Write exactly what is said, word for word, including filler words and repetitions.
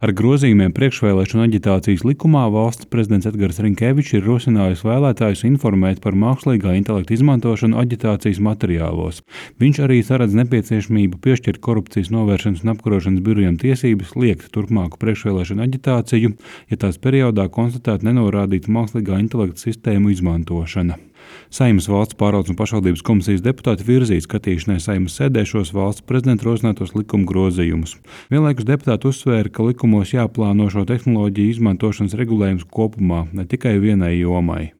Ar grozījumiem priekšvēlēšanu aģitācijas likumā valsts prezidents Edgars Rinkevičs ir rosinājis vēlētājus informēt par mākslīgā intelekta izmantošanu aģitācijas materiālos. Viņš arī saredz nepieciešamību piešķirt korupcijas novēršanas un apkarošanas birojam tiesības liekt turpmāku priekšvēlēšanu aģitāciju, ja tās periodā konstatēta nenorādīta mākslīgā intelekta sistēmu izmantošana. Saeimas valsts pārvaldes un pašvaldības komisijas deputāti virzīja skatīšanai Saeimas sēdē šos valsts prezidenta rosinātos likuma grozījumus. Vienlaikus deputāti uzsvēra, ka likumos jāplāno šo tehnoloģiju izmantošanas regulējums kopumā, ne tikai vienai jomai.